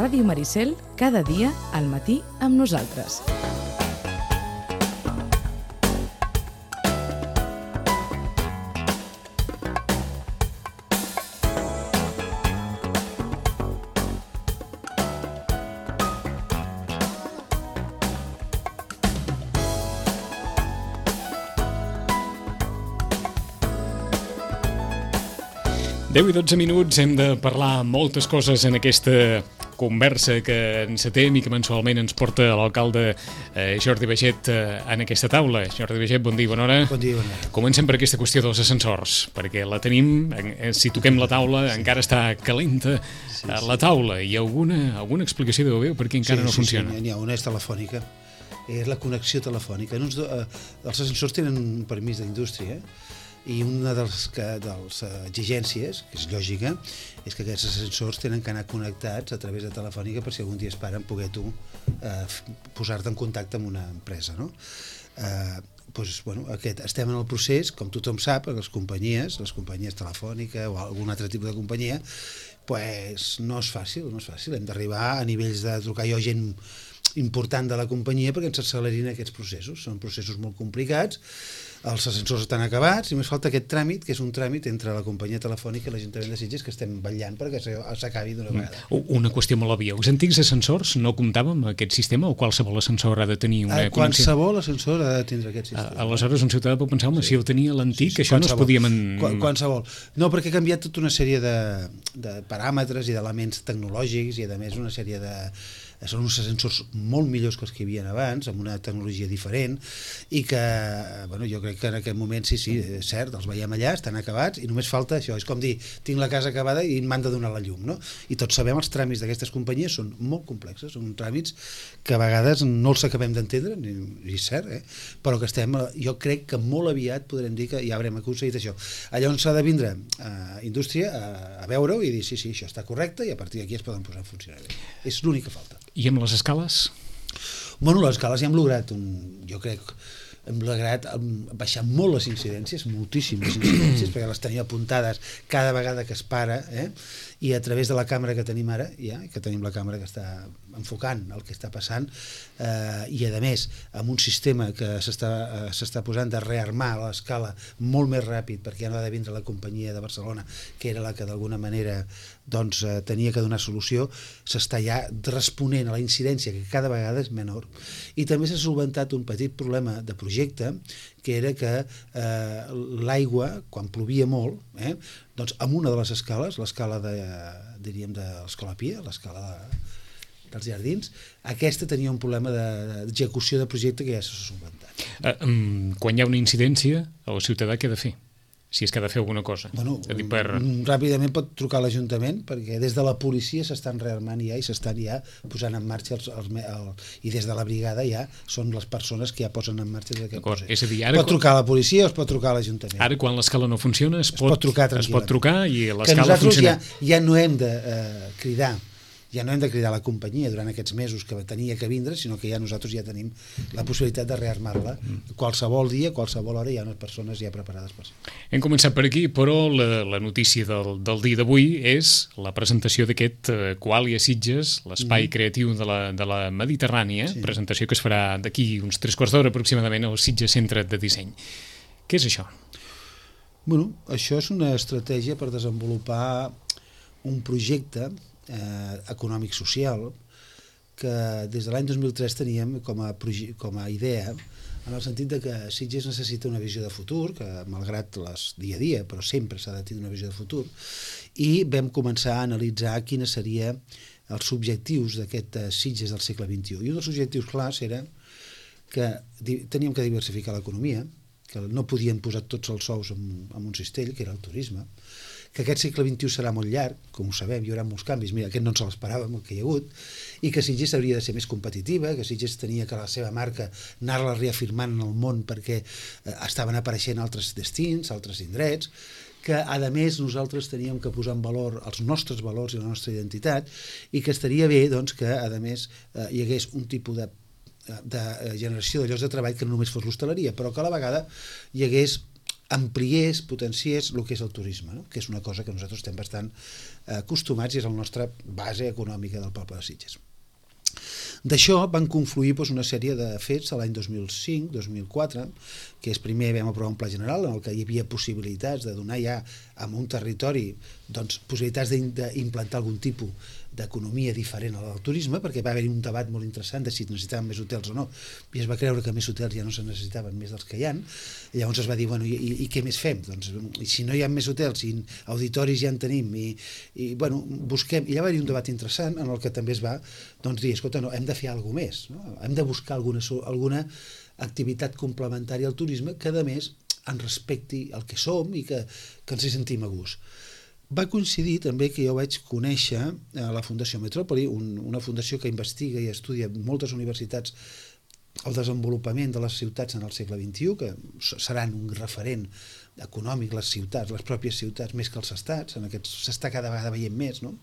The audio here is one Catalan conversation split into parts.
Ràdio Maricel, cada dia al matí amb nosaltres. Deu i 12 minuts, hem de parlar moltes coses en aquesta conversa que encetem i que mensualment ens porta l'alcalde Jordi Baiget en aquesta taula. Jordi Baiget, bon dia, bona hora. Bon dia, bona hora. Comencem per aquesta qüestió dels ascensors, perquè la tenim, si toquem la taula, encara està calenta la taula. Hi ha alguna explicació deu haver per què encara no funciona? Sí, n'hi ha una, és telefònica. És la connexió telefònica. Els ascensors tenen un permís d'indústria, i una de les exigències, que és lògica, és que aquests ascensors tenen que anar connectats a través de telefònica per si algun dia es paren poder tu posar-te en contacte amb una empresa, no? Estem en el procés, com tothom sap, les companyies telefònica o algun altre tipus de companyia, no és fàcil, hem d'arribar a nivells de trucar jo gent important de la companyia perquè ens accelerin aquests processos. Són processos molt complicats, els ascensors estan acabats i només falta aquest tràmit, que és un tràmit entre la companyia telefònica i l'Ajuntament de Sitges, que estem vetllant perquè s'acabi d'una vegada. Una qüestió molt òbvia. Els antics ascensors no comptaven amb aquest sistema o qualsevol ascensor ha de tenir una connexió? Qualsevol ascensor ha de tindre aquest sistema. Aleshores un ciutadà pot pensar, si el tenia l'antic, això no es podia... Qualsevol. No, perquè ha canviat tota una sèrie de paràmetres i d'elements tecnològics i a més una sèrie de... Són uns ascensors molt millors que els que hi havia abans, amb una tecnologia diferent, i que, jo crec que en aquest moment, sí, és cert, els veiem allà, estan acabats, i només falta això, és com dir, tinc la casa acabada i m'han de donar la llum, no? I tots sabem, els tràmits d'aquestes companyies són molt complexes, són tràmits que a vegades no els acabem d'entendre, i és cert, però que jo crec que molt aviat podrem dir que ja haurem aconseguit això. Allà on s'ha de vindre indústria a veure-ho i dir, sí, això està correcte, i a partir d'aquí es poden posar en funcionament. És l'únic que falta. I amb les escales? Bueno, les escales ja hem lograt, baixar molt les incidències, moltíssimes incidències, perquè les tenia apuntades cada vegada que es para, i a través de la càmera que tenim ara, que tenim la càmera que està enfocant el que està passant, i a més amb un sistema que s'està posant de rearmar l'escala molt més ràpid, perquè ja no ha de vindre la companyia de Barcelona, que era la que d'alguna manera tenia que donar solució, s'està ja responent a la incidència, que cada vegada és menor. I també s'ha solventat un petit problema de projecte, que era que l'aigua, quan plovia molt, doncs amb una de les escales, l'escala de l'Escola Pia, l'escala dels jardins, aquesta tenia un problema d'execució de projecte que ja s'ha solventat. Quan hi ha una incidència, el ciutadà què ha de fer? Si és que ha de fer alguna cosa. Ràpidament pot trucar a l'Ajuntament, perquè des de la policia s'estan rearmant ja i s'estan ja posant en marxa i des de la brigada ja són les persones que ja posen en marxa aquest procés. Pot trucar a la policia o es pot trucar a l'Ajuntament. Ara, quan l'escala no funciona, es pot trucar i l'escala funciona. Que nosaltres ja no hem de cridar la companyia durant aquests mesos que tenia que vindre, sinó que nosaltres ja tenim la possibilitat de rearmar-la. Qualsevol dia, qualsevol hora, hi ha unes persones ja preparades per això. Hem començat per aquí, però la notícia del dia d'avui és la presentació d'aquest Qualia Sitges, l'espai creatiu de la Mediterrània, presentació que es farà d'aquí uns 3/4 d'hora aproximadament al Sitges Centre de Disseny. Què és això? Això és una estratègia per desenvolupar un projecte econòmic-social que des de l'any 2003 teníem com a idea, en el sentit que Sitges necessita una visió de futur, que malgrat les dia a dia, però sempre s'ha de tenir una visió de futur, i vam començar a analitzar quines serien els objectius d'aquest Sitges del segle XXI. I un dels objectius clars era que teníem que diversificar l'economia, que no podíem posar tots els ous en un cistell, que era el turisme, que aquest segle XXI serà molt llarg, com ho sabem, hi haurà molts canvis, mira, aquest no ens l'esperàvem, el que hi ha hagut, i que Sitges hauria de ser més competitiva, que Sitges tenia que la seva marca anar-la reafirmant en el món perquè estaven apareixent altres destins, altres indrets, que a més nosaltres teníem que posar en valor els nostres valors i la nostra identitat, i que estaria bé que a més hi hagués un tipus de generació de llocs de treball que no només fos l'hostaleria, però que a la vegada hi hagués ampliés, potenciés el que és el turisme, no? Que és una cosa que nosaltres estem bastant acostumats i és la nostra base econòmica del poble de Sitges. D'això van confluir una sèrie de fets l'any 2005-2004, que és primer vam aprovar un pla general en el que hi havia possibilitats de donar ja a un territori possibilitats d'implantar algun tipus d'economia diferent a la del turisme, perquè va haver-hi un debat molt interessant de si necessitaven més hotels o no, i es va creure que més hotels ja no se necessitaven més dels que hi ha, i llavors es va dir, bueno, i què més fem? Doncs, si no hi ha més hotels, si auditoris ja en tenim, i bueno, busquem, i ja va haver-hi un debat interessant en el que també es va dir, escolta, no, hem de fer alguna més, no? Hem de buscar alguna activitat complementària al turisme que, a més, ens respecti el que som i que ens hi sentim a gust. Va coincidir també que jo vaig conèixer a la Fundació Metròpoli, una fundació que investiga i estudia moltes universitats el desenvolupament de les ciutats en el segle XXI, que seran un referent econòmic, les ciutats, les pròpies ciutats, més que els estats, s'està cada vegada veient més, no?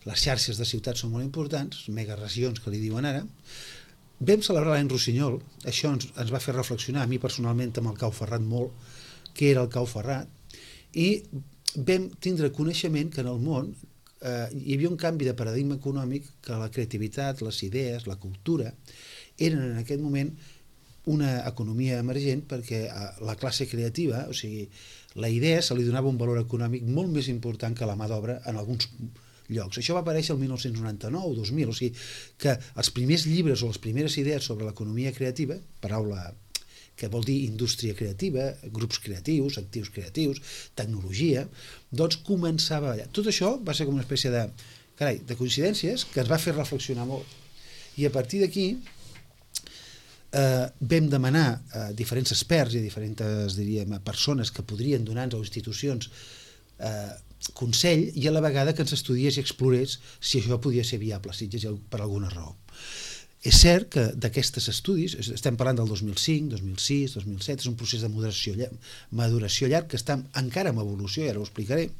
Les xarxes de ciutats són molt importants, megaregions que li diuen ara. Vam celebrar l'any Rossinyol, això ens va fer reflexionar, a mi personalment amb el Cau Ferrat molt, què era el Cau Ferrat, i vam tindre coneixement que en el món hi havia un canvi de paradigma econòmic, que la creativitat, les idees, la cultura eren en aquest moment una economia emergent, perquè a la classe creativa, o sigui, la idea se li donava un valor econòmic molt més important que la mà d'obra en alguns llocs. Això va aparèixer el 1999 o 2000, o sigui que els primers llibres o les primeres idees sobre l'economia creativa, paraula que vol dir indústria creativa, grups creatius, actius creatius, tecnologia, doncs començava allà. Tot això va ser com una espècie de coincidències que ens va fer reflexionar molt. I a partir d'aquí vam demanar a diferents experts i a diferents, diríem, persones que podrien donar-nos a institucions consell, i a la vegada que ens estudiés i explorés si això podia ser viable a Sitges per alguna raó. És cert que d'aquests estudis, estem parlant del 2005, 2006, 2007, és un procés de maduració llarg que està encara en evolució, i ara ho explicaré.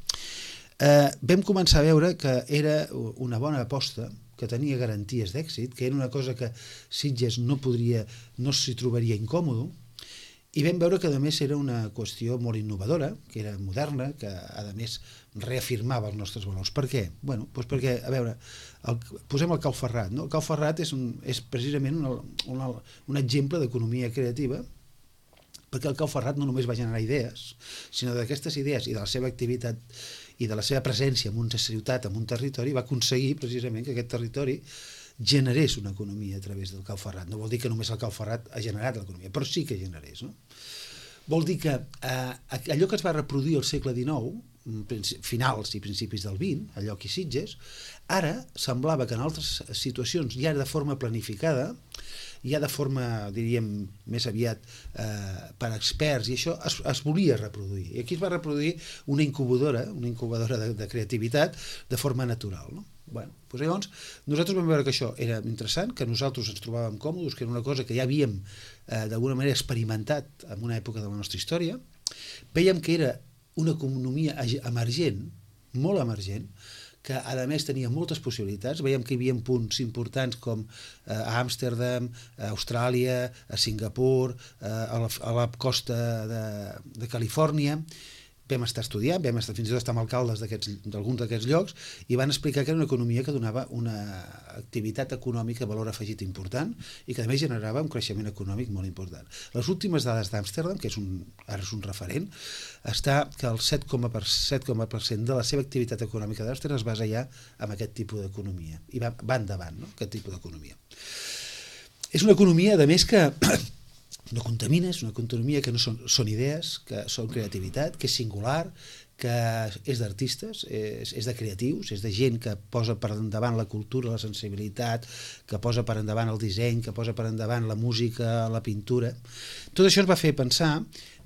Vam començar a veure que era una bona aposta, que tenia garanties d'èxit, que era una cosa que Sitges no s'hi trobaria incòmode, i vam veure que a més era una qüestió molt innovadora, que era moderna, que a més reafirmava els nostres valors. Per què? Bueno, doncs perquè, a veure, posem el Cau Ferrat, no? El Cau Ferrat és precisament un exemple d'economia creativa, perquè el Cau Ferrat no només va generar idees, sinó d'aquestes idees i de la seva activitat i de la seva presència en una ciutat, en un territori, va aconseguir precisament que aquest territori generés una economia a través del Cau Ferrat. No vol dir que només el Cau Ferrat ha generat l'economia, però sí que generés, no? Vol dir que allò que es va reproduir al segle XIX, finals i principis del XX, a lloc i Sitges, ara semblava que en altres situacions, ja de forma planificada, ja de forma, diríem, més aviat per experts, i això es volia reproduir. I aquí es va reproduir una incubadora de creativitat de forma natural, no? Bueno, doncs llavors nosaltres vam veure que això era interessant, que nosaltres ens trobàvem còmodes, que era una cosa que ja havíem d'alguna manera experimentat en una època de la nostra història. Vèiem que era una economia emergent, molt emergent, que a més tenia moltes possibilitats. Veiem que hi havia punts importants com a Amsterdam, a Austràlia, a Singapur, a la costa de Califòrnia. Vam estar estudiant, vam estar fins i tot estar amb alcaldes d'alguns d'aquests llocs, i van explicar que era una economia que donava una activitat econòmica de valor afegit important i que a més generava un creixement econòmic molt important. Les últimes dades d'Amsterdam, que ara és un referent, està que el 7,% de la seva activitat econòmica d'Amsterdam es basa ja en aquest tipus d'economia, i va endavant, no?, aquest tipus d'economia. És una economia, a més, que no contamina, és una economia que no són idees, que són creativitat, que és singular, que és d'artistes, és de creatius, és de gent que posa per endavant la cultura, la sensibilitat, que posa per endavant el disseny, que posa per endavant la música, la pintura. Tot això ens va fer pensar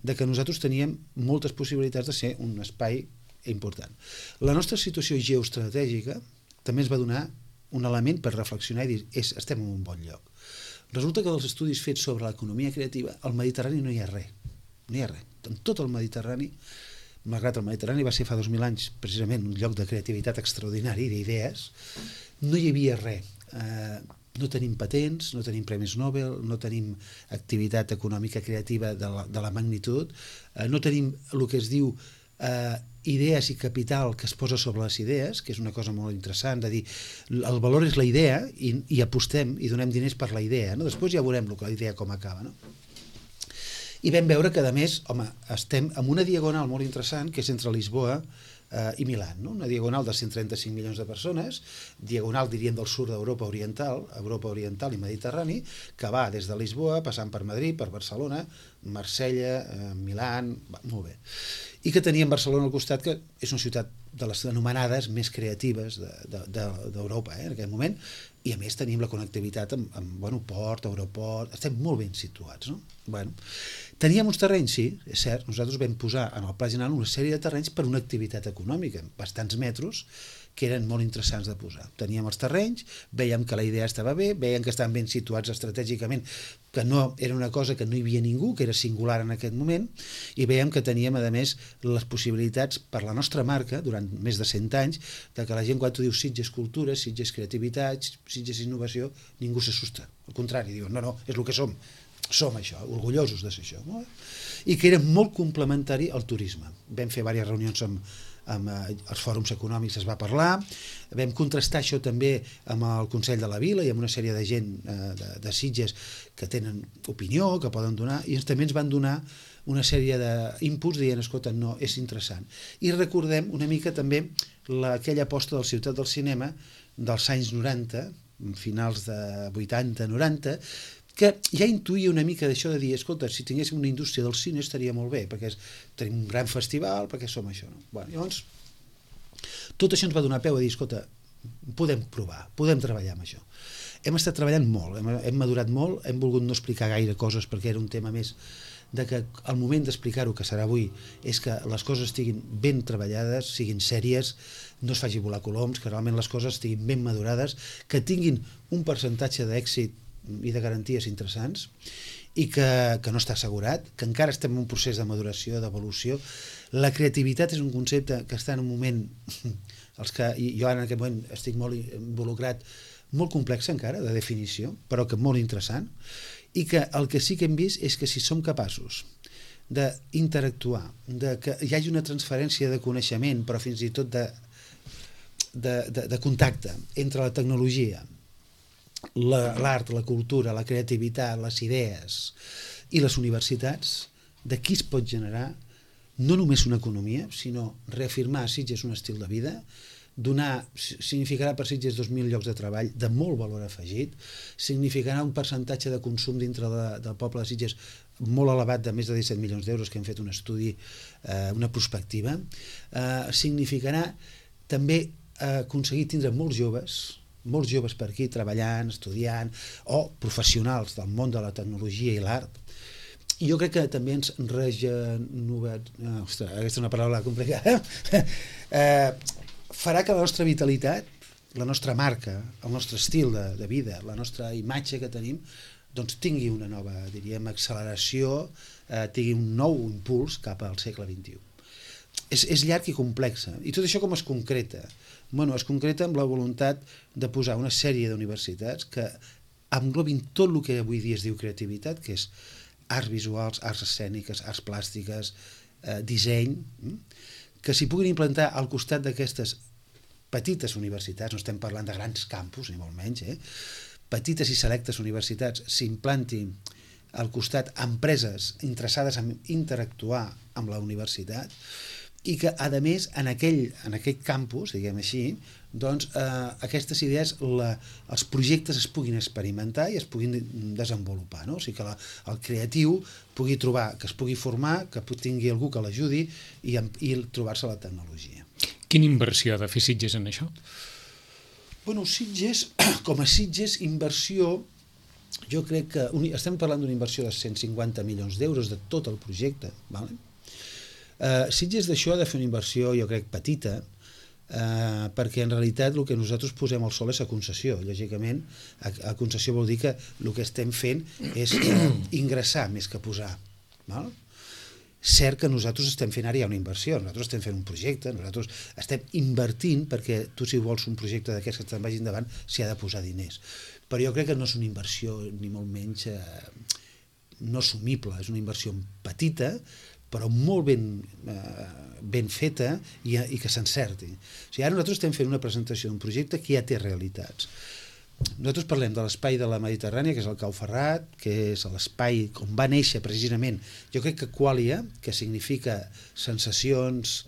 que nosaltres teníem moltes possibilitats de ser un espai important. La nostra situació geoestratègica també ens va donar un element per reflexionar i dir, estem en un bon lloc. Resulta que dels estudis fets sobre l'economia creativa, al Mediterrani no hi ha res. No hi ha res. En tot el Mediterrani, malgrat el Mediterrani va ser fa 2000 anys precisament un lloc de creativitat extraordinari, d'idees, no hi havia res. no tenim patents, no tenim premis Nobel, no tenim activitat econòmica creativa de la magnitud, no tenim el que es diu idees i capital que es posa sobre les idees, que és una cosa molt interessant, de dir, el valor és la idea i apostem i donem diners per la idea, no? Després ja veurem la idea com acaba, no? I vam veure que, a més, home, estem en una diagonal molt interessant, que és entre Lisboa i Milán, no? Una diagonal de 135 milions de persones, diagonal, diríem, del sud d'Europa Oriental i Mediterrani, que va des de Lisboa, passant per Madrid, per Barcelona, Marsella, Milán, molt bé. I que teníem Barcelona al costat, que és una ciutat de les anomenades més creatives d'Europa, en aquell moment, i a més tenim la connectivitat amb port, aeroport, estem molt ben situats, no? Bueno, teníem uns terrenys, sí, és cert, nosaltres vam posar en el Pla General una sèrie de terrenys per una activitat econòmica, bastants metros, que eren molt interessants de posar. Teníem els terrenys, veiem que la idea estava bé, veiem que estaven ben situats estratègicament, que no era una cosa que no hi havia ningú, que era singular en aquest moment, i veiem que teníem, a més, les possibilitats per la nostra marca, durant més de 100 anys, de que la gent, quan tu dius Sitges Cultura, Sitges Creativitat, Sitges Innovació, ningú s'assusta. Al contrari, diuen, no, és el que som. Som això, orgullosos de ser això. No? I que era molt complementari al turisme. Vam fer diverses reunions amb els fòrums econòmics, es va parlar, vam contrastar això també amb el Consell de la Vila i amb una sèrie de gent de Sitges que tenen opinió, que poden donar, i també ens van donar una sèrie d'inputs dient, escolta, no, és interessant. I recordem una mica també aquella aposta del Ciutat del Cinema dels anys 90, finals de 80-90, que ja intuïa una mica d'això de dir, escolta, si tinguéssim una indústria del cine estaria molt bé, perquè tenim un gran festival, perquè som això. No? Bueno, llavors, tot això ens va donar peu a dir, escolta, podem provar, podem treballar amb això. Hem estat treballant molt, hem madurat molt, hem volgut no explicar gaire coses perquè era un tema més de que el moment d'explicar-ho, que serà avui, és que les coses estiguin ben treballades, siguin sèries, no es faci volar coloms, que realment les coses estiguin ben madurades, que tinguin un percentatge d'èxit i de garanties interessants i que no està assegurat, que encara estem en un procés de maduració, d'evolució. La creativitat és un concepte que està en un moment, jo en aquest moment estic molt involucrat, molt complex encara, de definició, però que molt interessant, i que el que sí que hem vist és que si som capaços d'interactuar, que hi hagi una transferència de coneixement, però fins i tot de contacte entre la tecnologia, l'art, la cultura, la creativitat, les idees i les universitats, d'aquí es pot generar no només una economia, sinó reafirmar a Sitges un estil de vida, significarà per Sitges 2.000 llocs de treball de molt valor afegit, significarà un percentatge de consum dintre del poble de Sitges molt elevat, de més de 17 milions d'euros, que hem fet un estudi, una prospectiva, significarà també aconseguir tindre molts joves per aquí treballant, estudiant, o professionals del món de la tecnologia i l'art. I jo crec que també ens aquesta és una paraula complicada, farà que la nostra vitalitat, la nostra marca, el nostre estil de vida, la nostra imatge que tenim, doncs tingui una nova, diríem, acceleració, tingui un nou impuls cap al segle XXI. És llarg i complex. I tot això com es concreta? Bueno, es concreta amb la voluntat de posar una sèrie d'universitats que englobin tot el que avui dia es diu creativitat, que és arts visuals, arts escèniques, arts plàstiques, disseny, que s'hi puguin implantar al costat d'aquestes petites universitats, no estem parlant de grans campus, ni molt menys, petites i selectes universitats s'implantin al costat empreses interessades en interactuar amb la universitat, i que, a més, en aquell campus, diguem així, doncs aquestes idees, els projectes es puguin experimentar i es puguin desenvolupar, no? O sigui que el creatiu pugui trobar, que es pugui formar, que tingui algú que l'ajudi i trobar-se la tecnologia. Quina inversió ha de fer Sitges en això? Bueno, Sitges, com a Sitges, inversió, jo crec que estem parlant d'una inversió de 150 milions d'euros de tot el projecte, d'acord? Sitges d'això ha de fer una inversió, jo crec, petita, perquè en realitat el que nosaltres posem al sol és a concessió. Lògicament, a concessió vol dir que el que estem fent és ingressar més que posar. Cert que nosaltres estem fent ara ja una inversió, nosaltres estem fent un projecte, nosaltres estem invertint perquè tu, si vols un projecte d'aquests que te'n vagi endavant, s'hi ha de posar diners. però jo crec que no és una inversió ni molt menys no assumible, és una inversió petita però molt ben feta i que s'encerti. O sigui, ara nosaltres estem fent una presentació d'un projecte que ja té realitats. Nosaltres parlem de l'espai de la Mediterrània, que és el Cau Ferrat, que és l'espai on va néixer precisament, jo crec que quàlia, que significa sensacions,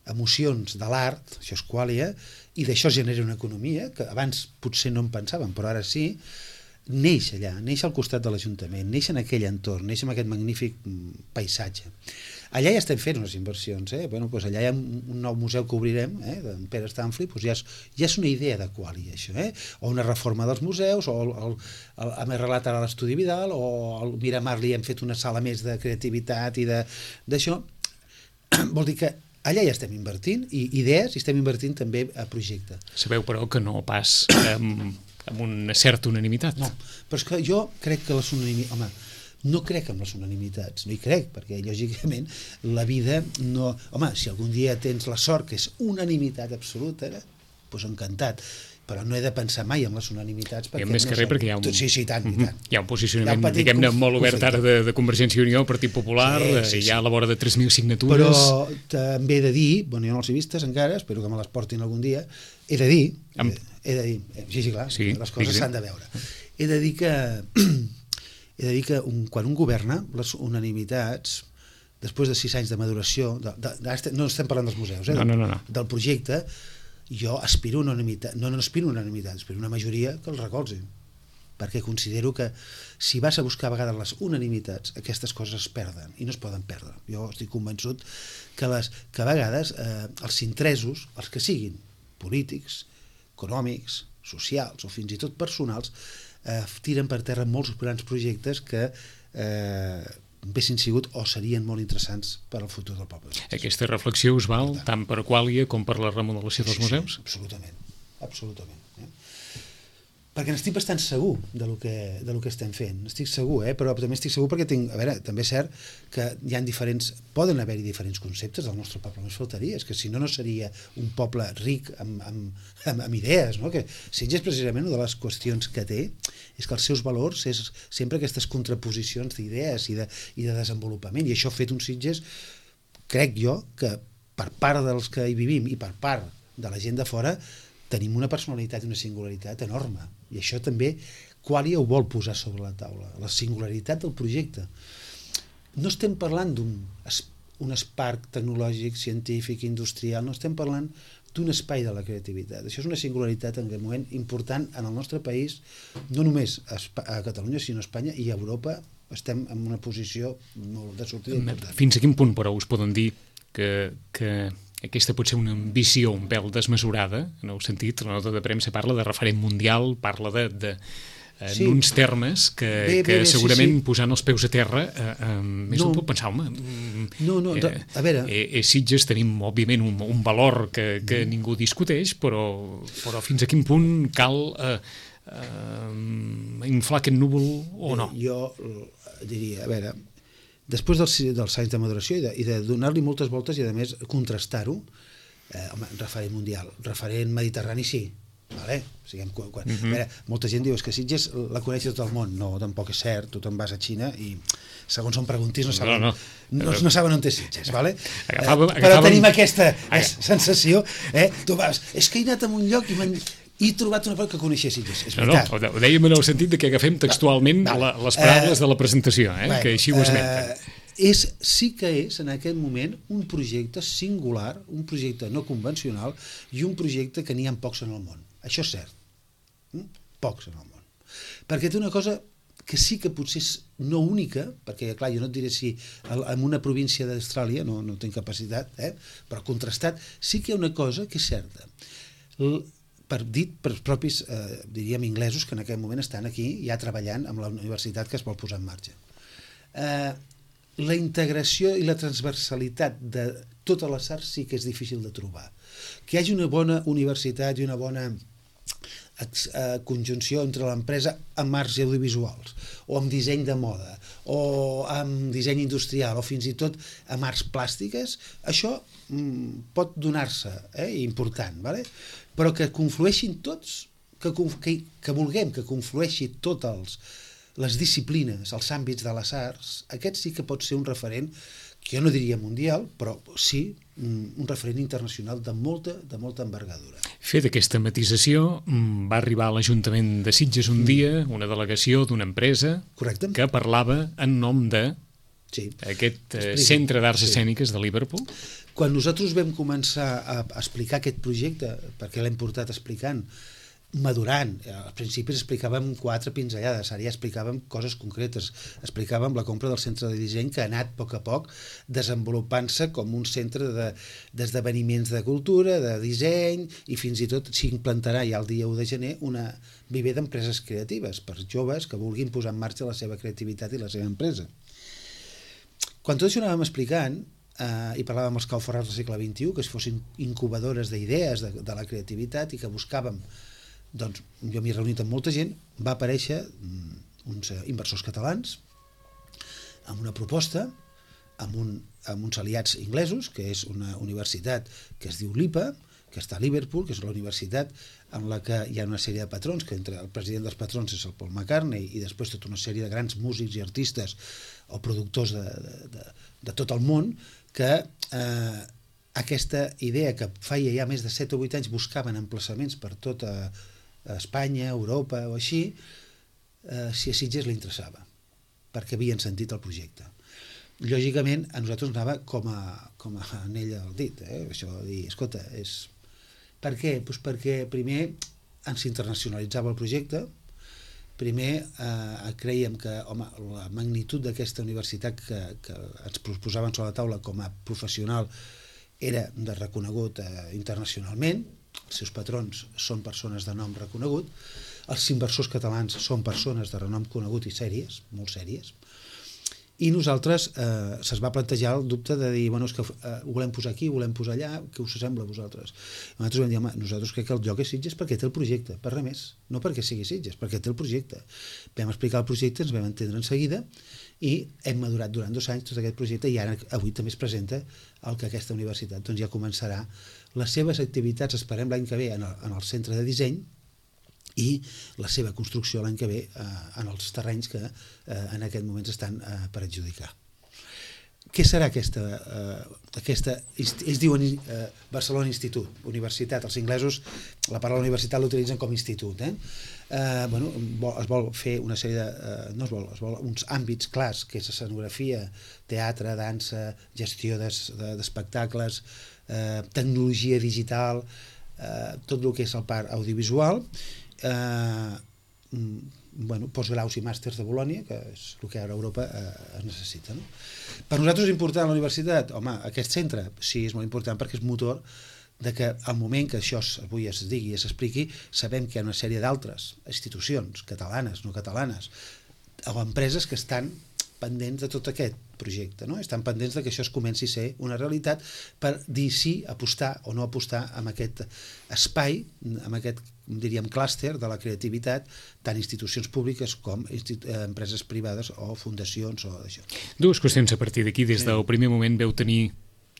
emocions de l'art, això és quàlia, i d'això es genera una economia, que abans potser no en pensàvem, però ara sí, neix allà, neix al costat de l'Ajuntament, neix en aquell entorn, neix en aquest magnífic paisatge. Allà ja estem fent unes inversions, bueno, doncs allà hi ha un nou museu que obrirem, d'en Pere Stanfli, doncs ja és una idea de quàlia, això, o una reforma dels museus, o hem arreglat ara l'Estudi Vidal, o al Miramar li hem fet una sala més de creativitat i d'això. Vol dir que allà ja estem invertint idees i estem invertint també a projecte. Sabeu, però, que no pas amb una certa unanimitat. No, però és que jo crec que les unanimitats... Home, no crec en les unanimitats, no hi crec, perquè lògicament la vida no... Home, si algun dia tens la sort que és unanimitat absoluta, doncs encantat, però no he de pensar mai en les unanimitats. I més que res perquè hi ha un... Sí, tant, i tant. Hi ha un posicionament, diguem-ne, molt obert ara de Convergència i Unió, Partit Popular, sí. Hi ha a la vora de 3.000 signatures... Però també he de dir, bueno, jo no els he vistes encara, espero que me les portin algun dia, he de dir, sí, clar, sí, les coses s'han de veure. He de dir que quan un governa, les unanimitats, després de 6 anys de maduració, no estem parlant dels museus, no. Del projecte, jo aspiro a unanimitat, no aspiro a unanimitat, aspiro a una majoria que el recolzi, perquè considero que si vas a buscar a vegades les unanimitats, aquestes coses es perden i no es poden perdre. Jo estic convençut que a vegades els interessos, els que siguin polítics, econòmics, socials o fins i tot personals, tiren per terra molts grans projectes que haguessin sigut o serien molt interessants per al futur del poble. Aquesta reflexió us val tant per quàlia com per la remodelació dels museus? Sí, absolutament. Perquè n'estic bastant segur del que estem fent, estic segur, però també estic segur perquè també és cert que poden haver-hi diferents conceptes del nostre poble, només faltaria, és que si no seria un poble ric amb idees, no? Que Sitges precisament una de les qüestions que té és que els seus valors és sempre aquestes contraposicions d'idees i de desenvolupament, i això ha fet un Sitges, crec jo, que per part dels que hi vivim i per part de la gent de fora tenim una personalitat i una singularitat enorme, i això també quàlia ho vol posar sobre la taula, la singularitat del projecte. No estem parlant d'un esparc tecnològic, científic, industrial, no estem parlant d'un espai de la creativitat. Això és una singularitat en aquest moment important en el nostre país, no només a Catalunya, sinó a Espanya i a Europa. Estem en una posició molt de sortida important. Fins a quin punt, però, us poden dir que aquesta pot ser una ambició un pèl desmesurada, en el sentit, la nota de premsa parla de referent mundial, parla en uns termes que segurament posant els peus a terra més un pot pensar, home, a veure... Sitges tenim, òbviament, un valor que ningú discuteix, però fins a quin punt cal inflar aquest núvol o no? Jo diria, a veure... Després dels anys de maduració i de donar-li moltes voltes i, a més, contrastar-ho, referent mundial, referent mediterrani, sí. Vale? A veure, molta gent diu que Sitges la coneix tot el món. No, tampoc és cert. Tu te'n vas a Xina i, segons on preguntis, no saben on té Sitges. Vale? Però tenim aquesta sensació. Tu vas, és que he anat a un lloc i he trobat una cosa que coneixia Sitges. És veritat. No, ho dèiem en el sentit que agafem textualment les paraules de la presentació, que així ho esmenten. Sí que és, en aquest moment, un projecte singular, un projecte no convencional i un projecte que n'hi ha pocs en el món. Això és cert. Pocs en el món. Perquè té una cosa que sí que potser és no única, perquè, clar, jo no et diré si en una província d'Austràlia, no tinc capacitat, però contrastat, sí que hi ha una cosa que és certa. Dit per els propis, diríem, inglesos que en aquest moment estan aquí ja treballant amb la universitat que es vol posar en marxa. La integració i la transversalitat de totes les arts sí que és difícil de trobar. Que hi hagi una bona universitat i una bona conjunció entre l'empresa amb arts audiovisuals, o amb disseny de moda, o amb disseny industrial, o fins i tot amb arts plàstiques, això pot donar-se, important, vale? Però que conflueixin tots, que vulguem que conflueixi totes les disciplines, els àmbits de les arts, aquest sí que pot ser un referent, que jo no diria mundial, però sí un referent internacional de molta envergadura. Fet aquesta matisació, va arribar a l'Ajuntament de Sitges un dia una delegació d'una empresa Correcte. Que parlava en nom de aquest Centre d'Arts Escèniques de Liverpool. Quan nosaltres vam començar a explicar aquest projecte, perquè l'hem portat explicant, madurant, al principi explicàvem 4 pinzellades, ara ja explicàvem coses concretes, explicàvem la compra del centre de disseny que ha anat a poc desenvolupant-se com un centre d'esdeveniments de cultura, de disseny, i fins i tot s'implantarà ja el dia 1 de gener una viver d'empreses creatives per joves que vulguin posar en marxa la seva creativitat i la seva empresa. Quan tot això anàvem explicant, i parlàvem amb els Cauforrats del segle XXI, que fossin incubadores d'idees de la creativitat i que buscàvem, doncs jo m'he reunit amb molta gent, va aparèixer uns inversors catalans amb una proposta, amb uns aliats inglesos, que és una universitat que es diu LIPA, que està a Liverpool, que és la universitat en la que hi ha una sèrie de patrons, que entre el president dels patrons és el Paul McCartney i després tota una sèrie de grans músics i artistes o productors de tot el món, que aquesta idea que feia ja més de 7 o 8 anys buscaven emplaçaments per tota Espanya, Europa o així, si a Sitges li interessava, perquè havien sentit el projecte. Lògicament, a nosaltres anava com a anell al dit, això de dir, escolta, per què? Doncs perquè primer ens internacionalitzava el projecte, primer creiem que la magnitud d'aquesta universitat que ens proposaven sobre la taula com a professional era de reconegut internacionalment, els seus patrons són persones de nom reconegut, els inversors catalans són persones de renom conegut i sèries, molt sèries, i nosaltres se'ns va plantejar el dubte de dir, bueno, és que ho volem posar aquí, ho volem posar allà, què us sembla a vosaltres? I nosaltres vam dir, home, nosaltres crec que el lloc és Sitges perquè té el projecte, per res més, no perquè sigui Sitges, perquè té el projecte. Vam explicar el projecte, ens vam entendre en seguida i hem madurat durant 2 anys tot aquest projecte i ara avui també es presenta el que aquesta universitat doncs ja començarà les seves activitats, esperem l'any que ve en el centre de disseny i la seva construcció l'any que ve en els terrenys que en aquest moment estan per adjudicar. Què serà aquesta ells diuen Barcelona Institut, universitat, els inglesos la paraula universitat l'utilitzen com institut, bueno, es vol fer una sèrie es vol uns àmbits clars, que és escenografia, teatre, dansa, gestió d'espectacles, tecnologia digital, tot el que és el part audiovisual, postgraus i màsters de Bolònia, que és el que ara a Europa es necessita. Per nosaltres és important la universitat? Home, aquest centre sí, és molt important perquè és motor de que al moment que això avui es digui i s'expliqui, sabem que hi ha una sèrie d'altres institucions, catalanes, no catalanes, o empreses que estan pendents de tot aquest projecte, estan pendents de que això es comenci a ser una realitat per dir sí, apostar o no apostar en aquest espai, en aquest, diríem, clúster de la creativitat, tant institucions públiques com empreses privades o fundacions o això. 2 qüestions a partir d'aquí. Des del primer moment veu tenir,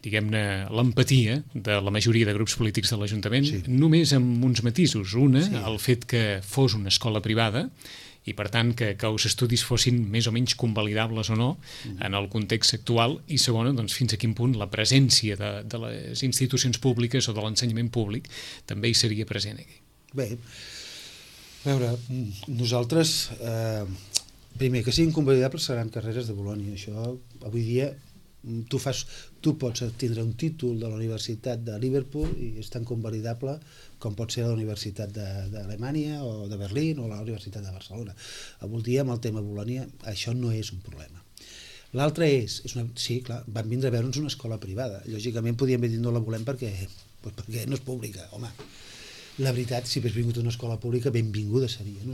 diguem-ne, l'empatia de la majoria de grups polítics de l'Ajuntament, només amb uns matisos. Una, el fet que fos una escola privada, i per tant que els estudis fossin més o menys convalidables o no en el context actual, i segona, doncs, fins a quin punt la presència de les institucions públiques o de l'ensenyament públic també hi seria present aquí. Bé, a veure, nosaltres, primer, que siguin convalidables seran carreres de Bolònia, això avui dia tu pots tindre un títol de la Universitat de Liverpool i és tan convalidable com pot ser la Universitat d'Alemanya o de Berlín o la Universitat de Barcelona. Avui dia, amb el tema Bolònia, això no és un problema. L'altre és sí, clar, van vindre a veure'ns una escola privada. Lògicament podíem haver dit no la volem perquè no és pública. Home, la veritat, si hagués vingut una escola pública, benvinguda seria.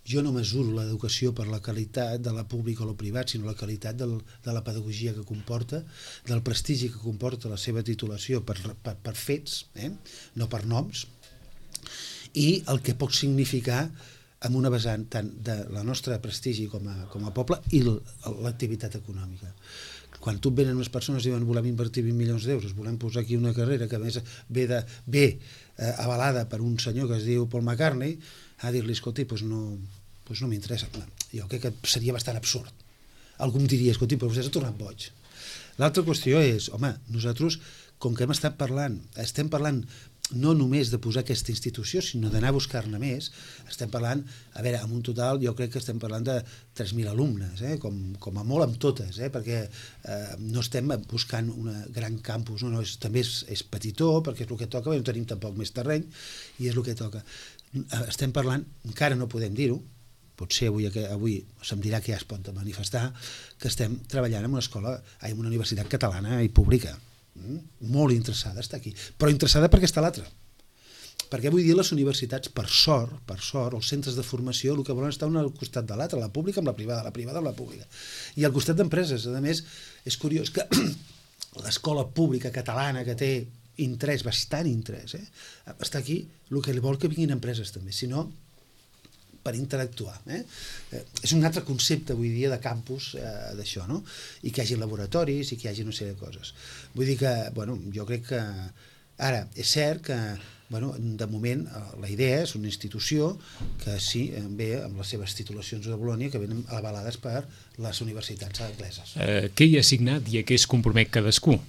Jo no mesuro l'educació per la qualitat de la pública o la privat, sinó la qualitat de la pedagogia que comporta, del prestigi que comporta la seva titulació per fets, no per noms, i el que pot significar amb una vessant tant de la nostra prestigi com a poble i l'activitat econòmica. Quan tu et venen unes persones i diuen volem invertir 20 milions d'euros, volem posar aquí una carrera que a més ve avalada per un senyor que es diu Paul McCartney, a dir-li, escolti, doncs no m'interessa. Jo crec que seria bastant absurd. Algú em diria, escolti, però vostè s'ha tornat boig. L'altra qüestió és, home, nosaltres, com que estem parlant no només de posar aquesta institució, sinó d'anar a buscar-ne més, estem parlant, a veure, en un total jo crec que estem parlant de 3.000 alumnes, com a molt amb totes, perquè no estem buscant un gran campus, també és petitó, perquè és el que toca, no tenim tampoc més terreny, i és el que toca. Estem parlant, encara no podem dir-ho, potser avui se'm dirà que ja es pot manifestar, que estem treballant en una universitat catalana i pública, molt interessada està aquí, però interessada perquè està l'altra, perquè avui dia les universitats, per sort, els centres de formació el que volen estar un al costat de l'altre, la pública amb la privada amb la pública, i al costat d'empreses. A més, és curiós que l'escola pública catalana, que té interès, bastant interès, està aquí, el que vol que vinguin empreses també, si no per interactuar. És un altre concepte avui dia de campus d'això, no? I que hi hagi laboratoris i que hi hagi una sèrie de coses. Vull dir que, jo crec que ara és cert que, de moment la idea és una institució que sí, ve amb les seves titulacions de Bolònia que venen avalades per les universitats angleses. Què hi ha assignat i a què es compromet cadascú?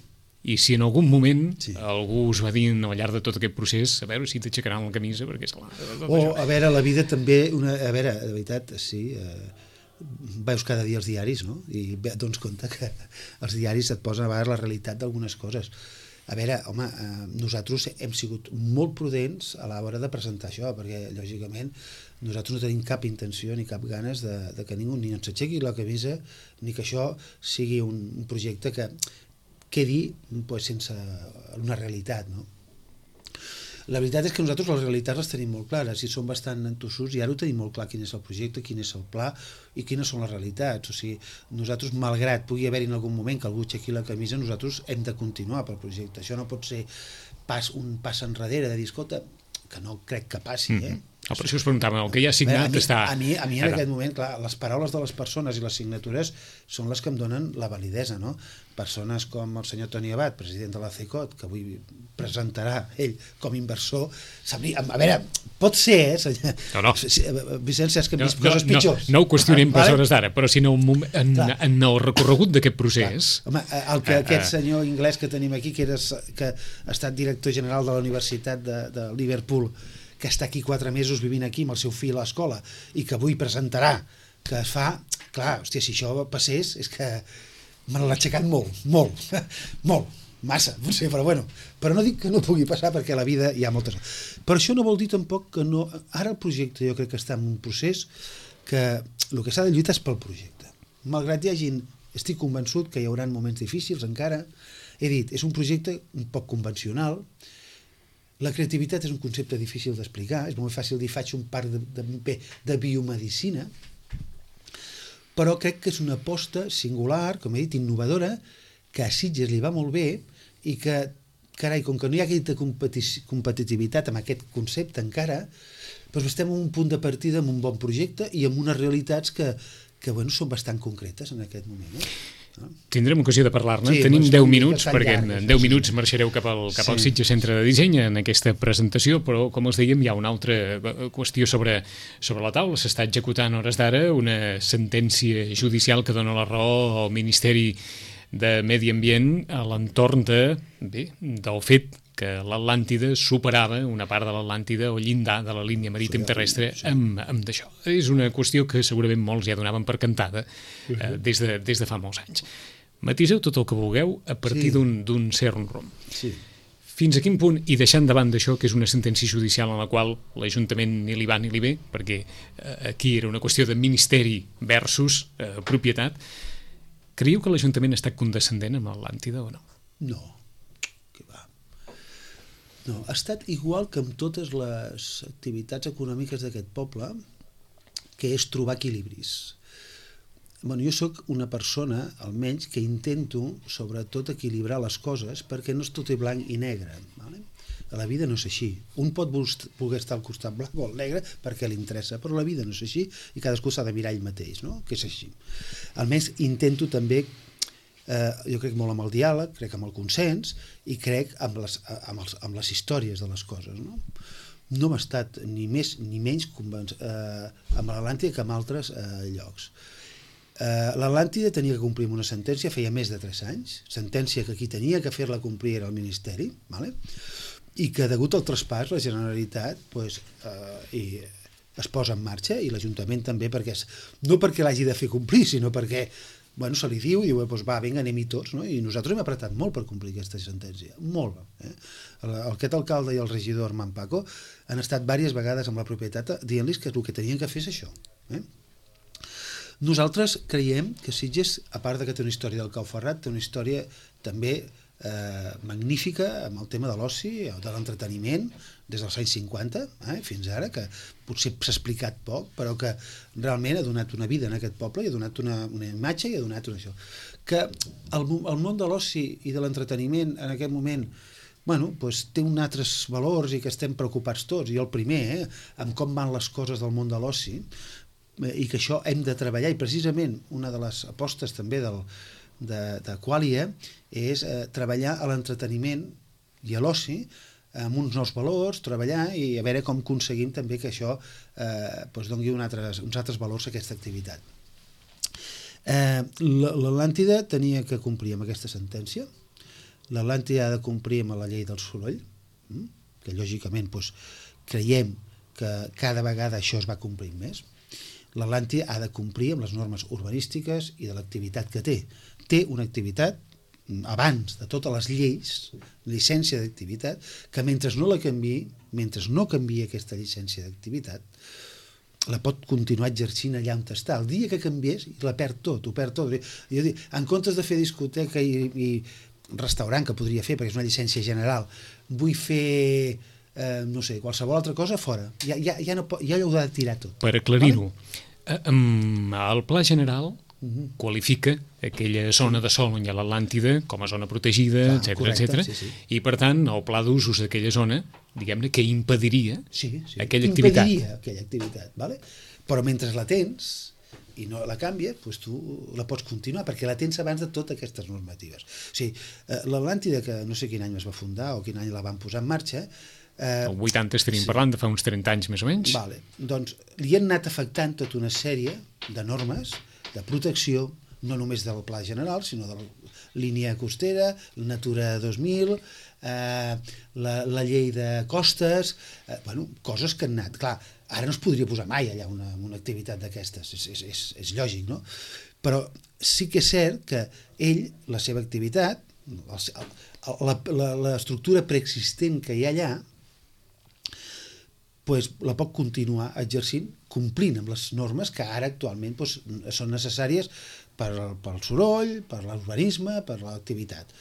I si en algun moment algú us va dir al llarg de tot aquest procés, a veure si t'aixecaran la camisa, perquè és clar... A veure, la vida també, a veure, de veritat, sí, veus cada dia els diaris, no? I et dones compte que els diaris et posen a vegades la realitat d'algunes coses. A veure, home, nosaltres hem sigut molt prudents a l'hora de presentar això, perquè, lògicament, nosaltres no tenim cap intenció ni cap ganes de que ningú ni ens aixequi la camisa, ni que això sigui un projecte que quedi sense una realitat, no? La veritat és que nosaltres les realitats les tenim molt clares i som bastant entossudits i ara ho tenim molt clar quin és el projecte, quin és el pla i quines són les realitats. O sigui, nosaltres, malgrat pugui haver-hi en algun moment que algú aixequi la camisa, nosaltres hem de continuar pel projecte. Això no pot ser un pas enrere de dir, escolta, que no crec que passi, Per això us preguntàvem, el que hi ha signat està... A mi en aquest moment, clar, les paraules de les persones i les signatures són les que em donen la validesa, no? Persones com el senyor Toni Abad, president de la CECOT, que avui presentarà ell com inversor, a veure, pot ser, senyor... No. Vicent, saps que hem vist coses pitjors. No ho qüestionem per hores d'ara, però si en el recorregut d'aquest procés... Home, aquest senyor anglès que tenim aquí, que ha estat director general de la Universitat de Liverpool, que està aquí 4 mesos vivint aquí amb el seu fill a l'escola i que avui presentarà, que es fa... Clar, hòstia, si això passés és que me l'ha aixecat molt, massa, potser, però no dic que no pugui passar perquè a la vida hi ha moltes... Però això no vol dir tampoc que no... Ara el projecte jo crec que està en un procés que el que s'ha de lluitar és pel projecte. Malgrat hi hagin... Estic convençut que hi haurà moments difícils encara. He dit, és un projecte un poc convencional. La creativitat és un concepte difícil d'explicar, és molt fàcil dir faig un parc de biomedicina, però crec que és una aposta singular, com he dit, innovadora, que a Sitges li va molt bé i que, carai, com que no hi ha aquesta competitivitat amb aquest concepte encara, doncs estem en un punt de partida amb un bon projecte i amb unes realitats que són bastant concretes en aquest moment, Tindrem ocasió de parlar-ne. Tenim 10 minuts, perquè en 10 minuts marxareu cap al Sitges Centre de Disseny en aquesta presentació, però, com els dèiem, hi ha una altra qüestió sobre la taula. S'està executant a hores d'ara una sentència judicial que dona la raó al Ministeri de Medi Ambient a l'entorn del fet que l'Atlàntida superava una part de l'Atlàntida o llindar de la línia marítim terrestre amb d'això. És una qüestió que segurament molts ja donaven per cantada des de fa molts anys. Matiseu tot el que vulgueu a partir d'un cert rumb. Fins a quin punt, i deixant davant d'això, que és una sentència judicial en la qual l'Ajuntament ni li va ni li ve, perquè aquí era una qüestió de ministeri versus propietat, creieu que l'Ajuntament ha estat condescendent amb l'Atlàntida o no? No. No, ha estat igual que amb totes les activitats econòmiques d'aquest poble, que és trobar equilibris. Jo sóc una persona, almenys, que intento, sobretot, equilibrar les coses perquè no és tot blanc i negre. La vida no és així. Un pot voler estar al costat blanc o al negre perquè li interessa, però la vida no és així i cadascú s'ha de mirar ell mateix, no? Que és així. Almenys intento també, jo crec molt amb el diàleg, crec amb el consens i crec amb les històries de les coses, no? No m'ha estat ni més ni menys amb l'Atlàntida que amb altres llocs. L'Atlàntida tenia que complir una sentència feia més de 3 anys, sentència que qui tenia que fer-la complir era el Ministeri, vale? I que degut al traspàs la Generalitat es posa en marxa i l'Ajuntament també, no perquè l'hagi de fer complir, sinó perquè se li diu i diu, va, vinga, anem-hi tots, no? I nosaltres hem apretat molt per complir aquesta sentència, molt. Aquest alcalde i el regidor Armand Paco han estat diverses vegades amb la propietat dient-los que el que tenien que fer és això. Nosaltres creiem que Sitges, a part que té una història del Cau Ferrat, té una història també magnífica amb el tema de l'oci o de l'entreteniment des dels anys 50 fins ara, que potser s'ha explicat poc, però que realment ha donat una vida en aquest poble i ha donat una imatge i ha donat això. Que el món de l'oci i de l'entreteniment en aquest moment té uns altres valors i que estem preocupats tots, i el primer, amb com van les coses del món de l'oci, i que això hem de treballar, i precisament una de les apostes també de Qualia és treballar a l'entreteniment i a l'oci amb uns nous valors, treballar i a veure com aconseguim també que això doni uns altres valors a aquesta activitat. L'Atlàntida tenia que complir amb aquesta sentència, l'Atlàntida ha de complir amb la llei del soroll, que lògicament creiem que cada vegada això es va complint més. L'Atlàntida ha de complir amb les normes urbanístiques i de l'activitat que té. Té una activitat, abans de totes les lleis, llicència d'activitat, que mentre no la canviï, mentre no canviï aquesta llicència d'activitat, la pot continuar exercint allà on està. El dia que canviés, la perd tot, ho perd tot. Jo dic, en comptes de fer discoteca i restaurant, que podria fer, perquè és una llicència general, vull fer qualsevol altra cosa, fora. Ja ho ha de tirar tot. Per aclarir-ho, el Pla General qualifica aquella zona de sol on hi ha l'Atlàntida com a zona protegida, etc. I per tant el pla d'usos d'aquella zona, diguem-ne, que impediria aquella activitat. Impediria aquella activitat, vale? Però mentre la tens i no la canvies, tu la pots continuar, perquè la tens abans de totes aquestes normatives. O sigui, l'Atlàntida, que no sé quin any es va fundar o quin any la van posar en marxa, el 80 estaríem parlant de fa uns 30 anys més o menys. Doncs li han anat afectant tota una sèrie de normes de protecció, no només del Pla General, sinó de la línia costera, la Natura 2000, la llei de costes, coses que han anat. Clar, ara no es podria posar mai allà una activitat d'aquestes, és lògic, no? Però sí que és cert que ell, la seva activitat, l'estructura preexistent que hi ha allà, la pot continuar exercint complint amb les normes que ara actualment són necessàries pel soroll, per l'urbanisme, per l'activitat.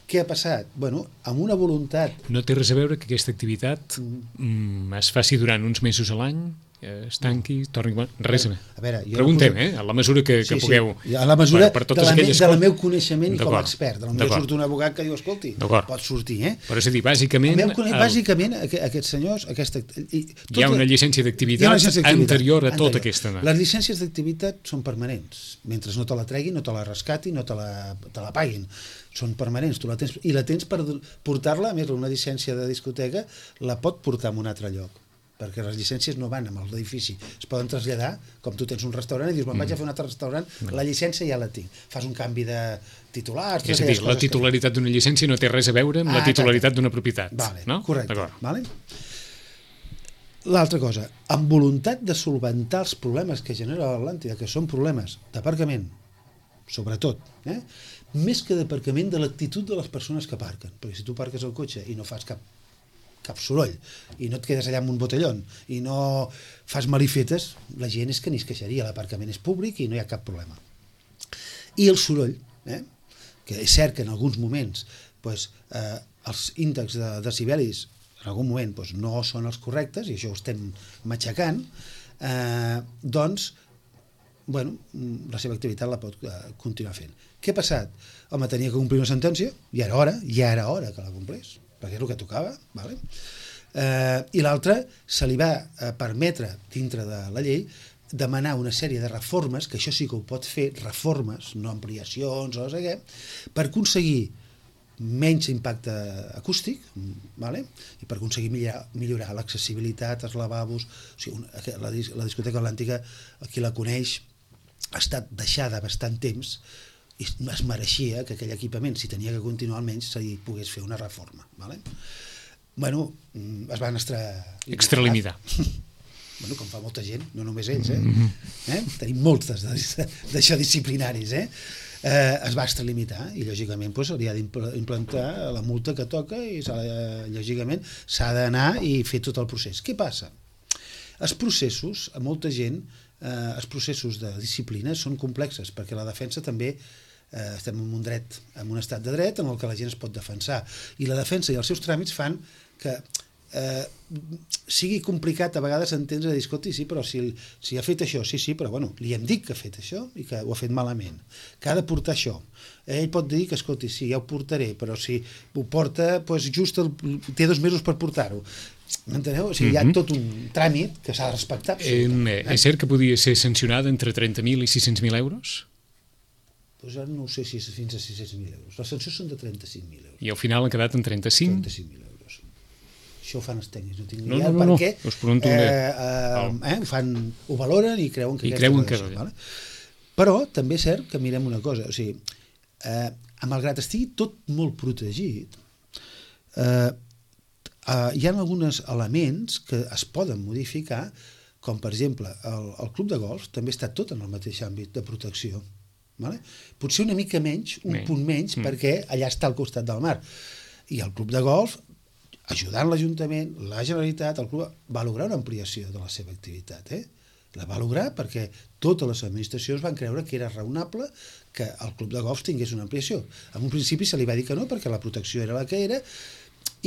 Què ha passat? Amb una voluntat... No té res a veure que aquesta activitat es faci durant uns mesos a l'any, es tanqui, torni... Res a veure. Preguntem, a la mesura que pugueu... A la mesura del meu coneixement com a expert. Potser surt un abogat que diu, escolti, pot sortir, Però és a dir, bàsicament... Bàsicament, aquests senyors... Hi ha una llicència d'activitat anterior a tota aquesta... Les llicències d'activitat són permanents. Mentre no te la treguin, no te la rescatin, no te la paguin. Són permanents, tu la tens, i la tens per portar-la, a més una llicència de discoteca la pot portar a un altre lloc, perquè les llicències no van amb l'edifici, es poden traslladar, com tu tens un restaurant i dius, vaig a fer un altre restaurant, la llicència ja la tinc, fas un canvi de titulars... És a dir, la titularitat d'una llicència no té res a veure amb la titularitat d'una propietat. Correcte. L'altra cosa, amb voluntat de solventar els problemes que genera l'Atlàntida, que són problemes d'aparcament, sobretot, més que d'aparcament, de l'actitud de les persones que aparquen, perquè si tu aparques el cotxe i no fas cap soroll, i no et quedes allà amb un botellón, i no fas malifetes, la gent és que ni es queixaria, l'aparcament és públic i no hi ha cap problema. I el soroll, que és cert que en alguns moments els índexs de decibelis en algun moment no són els correctes, i això ho estem matxacant, doncs la seva activitat la pot continuar fent. Què ha passat? Home, tenia que complir una sentència, i era hora que la complés. perquè és el que tocava, vale? I l'altre se li va permetre, dintre de la llei, demanar una sèrie de reformes, que això sí que ho pot fer, reformes, no ampliacions o no sé què, per aconseguir menys impacte acústic, vale? I per aconseguir millorar l'accessibilitat, els lavabos, o sigui, la discoteca atlàntica, qui la coneix, ha estat deixada bastant temps i es mereixia que aquell equipament, si tenia que continuar almenys, se li pogués fer una reforma. Vale? Bueno, es van extralimitar. Bueno, com fa molta gent, no només ells, tenim moltes d'això disciplinaris, es va extralimitar i lògicament doncs, hauria d'implantar la multa que toca i lògicament s'ha d'anar i fer tot el procés. Què passa? Els processos, a molta gent, els processos de disciplina són complexes perquè la defensa també estem en un dret, en un estat de dret en el que la gent es pot defensar i la defensa i els seus tràmits fan que sigui complicat a vegades entendre dir, escolti, sí, però si ha fet això, sí, però bueno, li hem dit que ha fet això i que ho ha fet malament, que ha de portar això. Ell pot dir que, escolti, sí, ja ho portaré, però si ho porta, doncs just té 2 mesos per portar-ho. M'enteneu? O sigui, hi ha tot un tràmit que s'ha de respectar. És cert que podia ser sancionada entre 30.000 i 600.000 euros? Doncs ara no ho sé si és fins a 600.000 euros. Les sancions són de 35.000 euros. I al final han quedat en 35? 35.000 euros. Això ho fan els tècnics, no tinc ni idea, perquè ho valoren i creuen que vale? Però també és cert que mirem una cosa, o sigui, malgrat estigui tot molt protegit, hi ha alguns elements que es poden modificar, com per exemple el club de golf també està tot en el mateix àmbit de protecció. Vale? Potser una mica menys, un punt menys, perquè allà està al costat del mar. I el club de golf, ajudant l'Ajuntament, la Generalitat, el club va lograr una ampliació de la seva activitat. La va lograr perquè totes les administracions van creure que era raonable que el club de golf tingués una ampliació. En un principi se li va dir que no, perquè la protecció era la que era,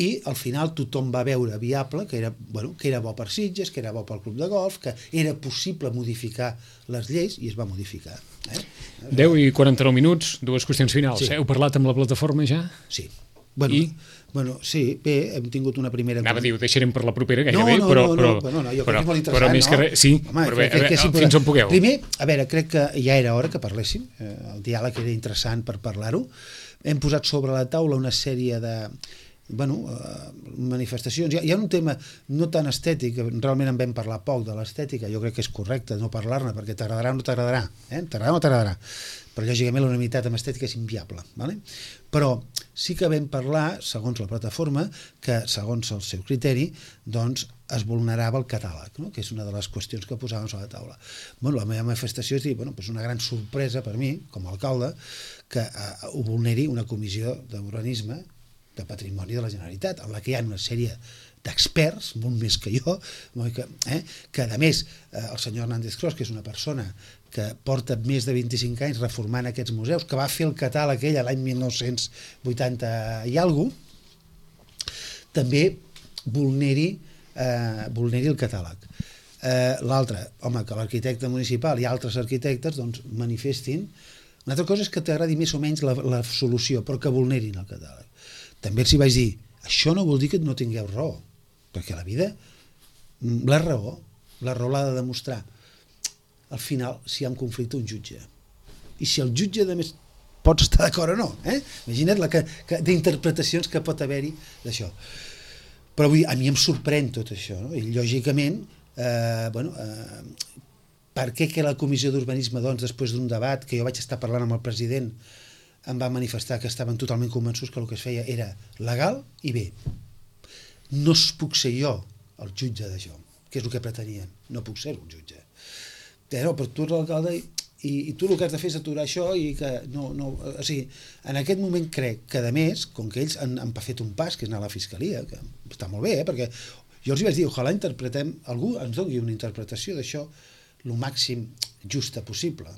i al final tothom va veure viable que era bo per Sitges, que era bo pel club de golf, que era possible modificar les lleis, i es va modificar. 10 i 49 minuts, 2 qüestions finals. Sí. Heu parlat amb la plataforma ja? Sí. Bueno, sí, bé, hem tingut una primera... Anava a dir, ho deixarem per la propera gairebé, però jo crec que és molt interessant, però més que res, sí, home, però fins on pugueu. Primer, a veure, crec que ja era hora que parléssim, el diàleg era interessant per parlar-ho, hem posat sobre la taula una sèrie de manifestacions. Hi ha un tema no tan estètic, realment en vam parlar poc de l'estètica, jo crec que és correcte no parlar-ne, perquè t'agradarà o no t'agradarà, t'agradarà o no t'agradarà, però lògicament la unanimitat amb estètica és inviable, ¿vale? Però sí que vam parlar, segons la plataforma, que segons el seu criteri, doncs es vulnerava el catàleg, no? Que és una de les qüestions que posàvem sobre la taula. La meva manifestació és dir, és una gran sorpresa per mi, com a alcalde, que ho vulneri una comissió d'urbanisme de patrimoni de la Generalitat, en la que hi ha una sèrie d'experts, molt més que jo, que a més el senyor Hernández Cros, que és una persona que porta més de 25 anys reformant aquests museus, que va fer el catàleg ell l'any 1980 i alguna cosa, també vulneri el catàleg. L'altre, home, que l'arquitecte municipal i altres arquitectes doncs manifestin. Una altra cosa és que t'agradi més o menys la solució, però que vulnerin el catàleg. També els hi vaig dir, això no vol dir que no tingueu raó, perquè la vida, la raó l'ha de demostrar. Al final, si hi ha un conflicte, un jutge. I si el jutge, a més, pots estar d'acord o no. Imagina't d'interpretacions que pot haver-hi d'això. Però avui a mi em sorprèn tot això, no? I lògicament, per què que la comissió d'urbanisme, doncs, després d'un debat, que jo vaig estar parlant amb el president, em va manifestar que estaven totalment convençuts que el que es feia era legal i bé. No puc ser jo el jutge d'això, que és el que pretenien. No puc ser el jutge. Però tu ets l'alcalde i tu el que has de fer és aturar això i que no... O sigui, en aquest moment crec que, a més, com que ells han fet un pas, que és anar a la fiscalia, que està molt bé, perquè jo els hi vaig dir, ojalà algú ens doni una interpretació d'això el màxim justa possible.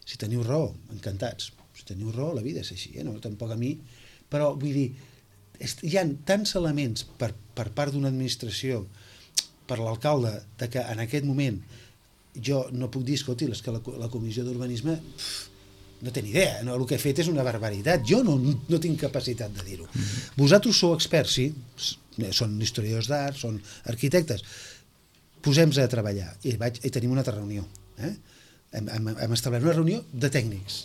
Si teniu raó, encantats. Si teniu raó, la vida és així, no? Tampoc a mi... Però, vull dir, hi ha tants elements per part d'una administració, per l'alcalde, que en aquest moment jo no puc dir, escolti, és que la comissió d'urbanisme no té ni idea, no? El que he fet és una barbaritat, jo no tinc capacitat de dir-ho. Vosaltres sou experts, sí, són historiadors d'art, són arquitectes, posem-nos a treballar, i tenim una altra reunió, hem establert una reunió de tècnics,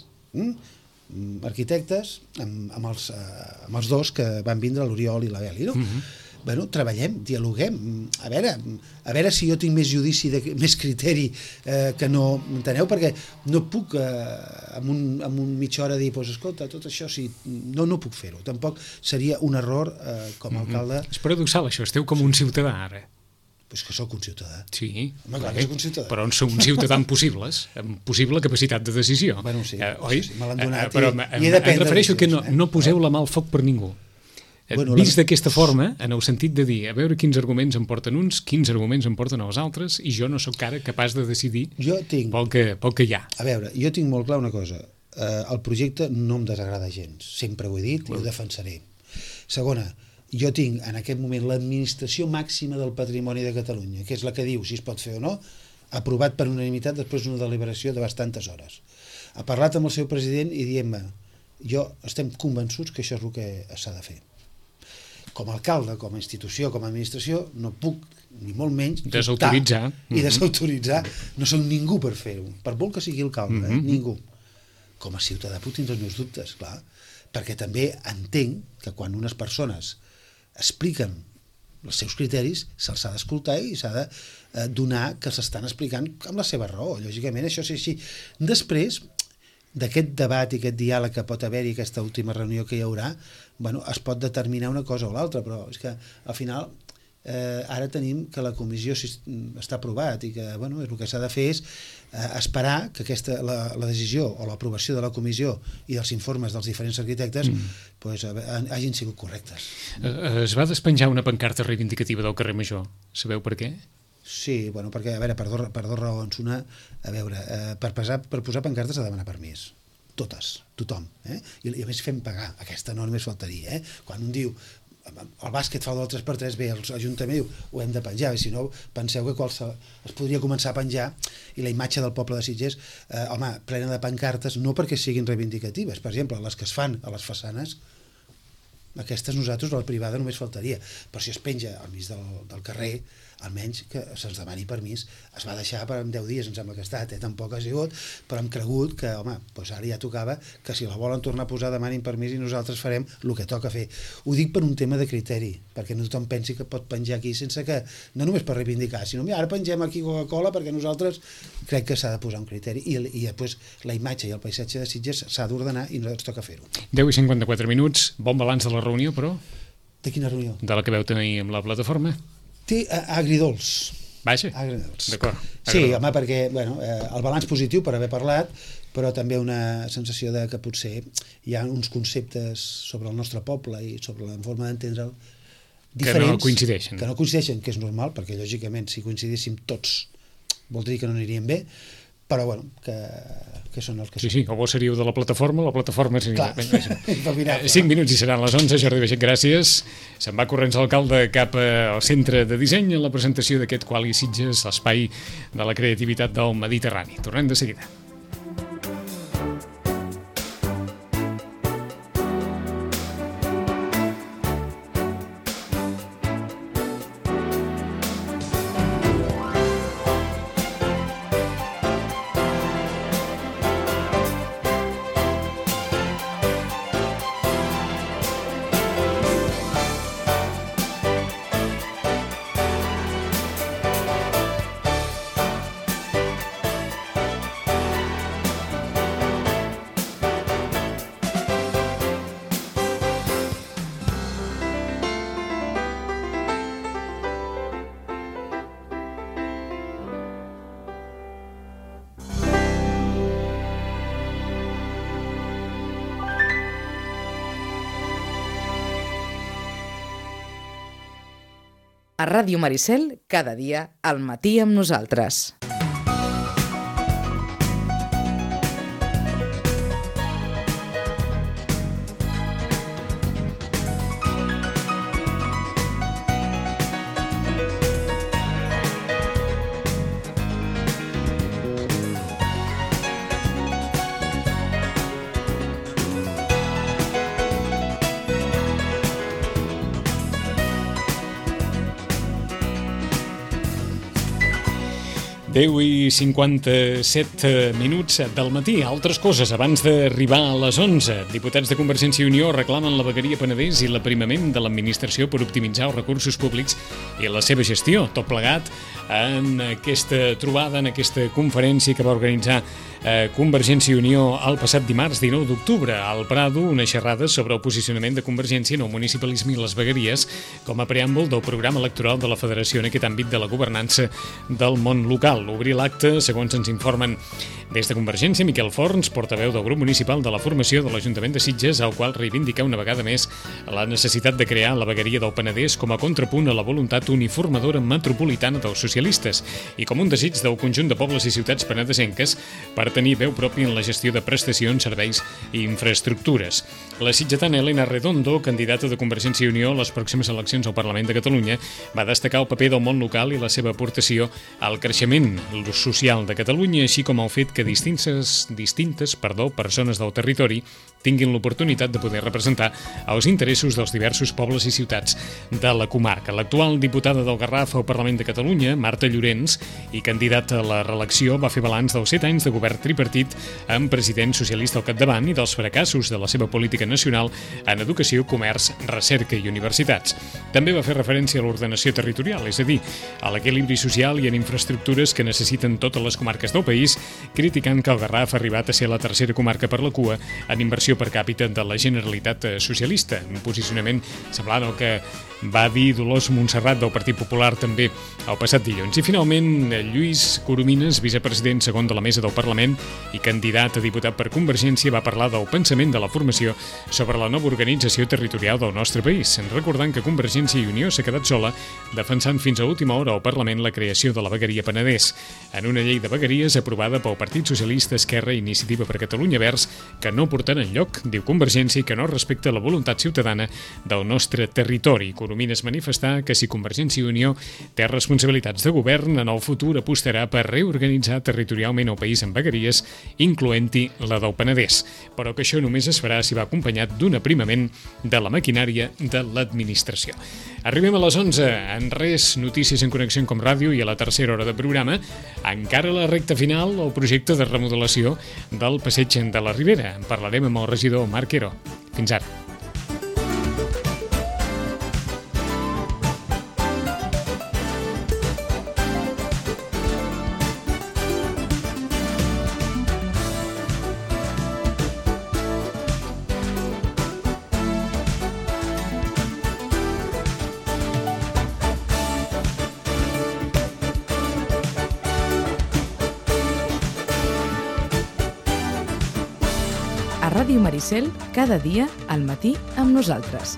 arquitectes, amb els dos que van vindre, l'Oriol i la Beli, no? Bueno, treballem, dialoguem, a veure si jo tinc més judici, més criteri que no, enteneu? Perquè no puc en un mitja hora dir, pues, escolta, tot això sí, no puc fer-ho, tampoc seria un error com a alcalde. És paradoxal això, esteu com un ciutadà ara. Pues que sóc un ciutadà. Sí, home, clar que sóc un ciutadà. Però on sou un ciutadà amb possibles, amb possible capacitat de decisió. Bueno, sí, oi? Sí, me l'han donat però i he de prendre em refereixo que decisions, no poseu la mà al foc per ningú. Bueno, vist d'aquesta forma, en el sentit de dir, a veure quins arguments em porten uns, quins arguments em porten els altres, i jo no sóc ara capaç de decidir pel que hi ha. A veure, jo tinc molt clar una cosa, el projecte no em desagrada gens, sempre ho he dit i ho defensaré. Segona, jo tinc en aquest moment l'administració màxima del patrimoni de Catalunya, que és la que diu si es pot fer o no, aprovat per unanimitat després d'una deliberació de bastantes hores. Ha parlat amb el seu president i diem-me, estem convençuts que això és el que s'ha de fer. Com a alcalde, com a institució, com a administració, no puc, ni molt menys, desautoritzar i desautoritzar. No soc ningú per fer-ho, per molt que sigui alcalde, ningú. Com a ciutadà puc tindre els meus dubtes, clar, perquè també entenc que quan unes persones expliquen els seus criteris, se'ls ha d'escoltar i s'ha de donar que s'estan explicant amb la seva raó. Lògicament, això és així. Després d'aquest debat i aquest diàleg que pot haver-hi, aquesta última reunió que hi haurà, bueno, es pot determinar una cosa o l'altra, però és que al final ara tenim que la comissió està aprovat i que bueno, el que s'ha de fer és esperar que la decisió o l'aprovació de la comissió i dels informes dels diferents arquitectes pues, hagin sigut correctes. Es va despenjar una pancarta reivindicativa del carrer Major. Sabeu per què? Sí, bueno, perquè, a veure, per dos raons. Una, a veure, per posar pancartes s'ha de demanar permís. Totes, tothom. I a més fem pagar, aquesta no només faltaria. Quan un diu, el bàsquet fa del 3x3, bé, l'Ajuntament diu, ho hem de penjar, i si no, penseu que es podria començar a penjar i la imatge del poble de Sitges, home, plena de pancartes, no perquè siguin reivindicatives. Per exemple, les que es fan a les façanes, aquestes nosaltres, la privada només faltaria, però si es penja al mig del carrer, almenys que se'ns demani permís. Es va deixar per 10 dies, em sembla que ha estat, tampoc ha sigut, però hem cregut que, home, doncs ara ja tocava que si la volen tornar a posar demanin permís i nosaltres farem el que toca fer. Ho dic per un tema de criteri, perquè no tothom pensi que pot penjar aquí sense que, no només per reivindicar, sinó mira, ara pengem aquí Coca-Cola perquè nosaltres crec que s'ha de posar un criteri i després la imatge i el paisatge de Sitges s'ha d'ordenar i nosaltres toca fer-ho. 10:54 minuts, bon balanç de la reunió, però? De quina reunió? De la que veu tenir amb la plataforma. Té agridols. Vaja, agridols. D'acord. Sí, home, perquè el balanç positiu per haver parlat, però també una sensació de que potser hi ha uns conceptes sobre el nostre poble i sobre la forma d'entendre'l diferents. Que no coincideixen. Que no coincideixen, que és normal, perquè lògicament si coincidíssim tots voldria que no aniríem bé, però bueno, que són els que són. Sí, o vos seríeu de la plataforma seria... Clar, 5 minuts i seran les 11, Jordi Baixet, gràcies. Se'n va corrents l'alcalde cap al centre de disseny en la presentació d'aquest Quali Sitges, l'espai de la creativitat del Mediterrani. Tornem de seguida. A Ràdio Maricel, cada dia al matí amb nosaltres. 10:57 del matí. Altres coses, abans d'arribar a les 11. Diputats de Convergència i Unió reclamen la vegueria Penedès i l'aprimament de l'administració per optimitzar els recursos públics i la seva gestió. Tot plegat en aquesta trobada, en aquesta conferència que va organitzar Convergència i Unió el passat dimarts 19 d'octubre al Prado, una xerrada sobre el posicionament de Convergència en el municipalisme i les vegueries com a preàmbul del programa electoral de la Federació en aquest àmbit de la governança del món local. Obrir l'acte, segons ens informen des de Convergència, Miquel Forns, portaveu del grup municipal de la formació de l'Ajuntament de Sitges, al qual reivindica una vegada més la necessitat de crear la vegueria del Penedès com a contrapunt a la voluntat uniformadora metropolitana dels socialistes i com un desig del conjunt de pobles i ciutats penedesenques per tenir veu pròpia en la gestió de prestacions, serveis i infraestructures. La sitgetana Elena Redondo, candidata de Convergència i Unió a les pròximes eleccions al Parlament de Catalunya, va destacar el paper del món local i la seva aportació al creixement social de Catalunya, així com el fet que distintes persones del territori tinguin l'oportunitat de poder representar els interessos dels diversos pobles i ciutats de la comarca. L'actual diputada del Garraf al Parlament de Catalunya, Marta Llorens, i candidata a la reelecció, va fer balanç dels 7 anys de govern tripartit amb president socialista al capdavant i dels fracassos de la seva política nacional en educació, comerç, recerca i universitats. També va fer referència a l'ordenació territorial, és a dir, a l'equilibri social i en infraestructures que necessiten totes les comarques del país, criticant que el Garraf ha arribat a ser la tercera comarca per la cua en inversió per càpita de la Generalitat socialista, un posicionament semblant al que va dir Dolors Montserrat del Partit Popular també el passat dilluns. I finalment, Lluís Coromines, vicepresident segon de la Mesa del Parlament i candidat a diputat per Convergència, va parlar del pensament de la formació sobre la nova organització territorial del nostre país, recordant que Convergència i Unió s'ha quedat sola defensant fins a última hora al Parlament la creació de la vegueria Penedès, en una llei de vegueries aprovada pel Partit Socialista, Esquerra i Iniciativa per Catalunya Verds, que no portarà enlloc, diu Convergència, i que no respecta la voluntat ciutadana del nostre territori. Coromines manifestar que si Convergència i Unió té responsabilitats de govern, en el futur apostarà per reorganitzar territorialment el país en vegueries, incloent-hi la del Penedès, però que això només es farà si va acompanyat d'un aprimament de la maquinària de l'administració. Arribem a les 11, en res, notícies en Connexió com Ràdio i a la tercera hora de programa, encara a la recta final, el projecte de remodelació del passeig de la Ribera. En parlarem amb el regidor Marc Quero. Fins ara. A Ràdio Maricel, cada dia al matí amb nosaltres.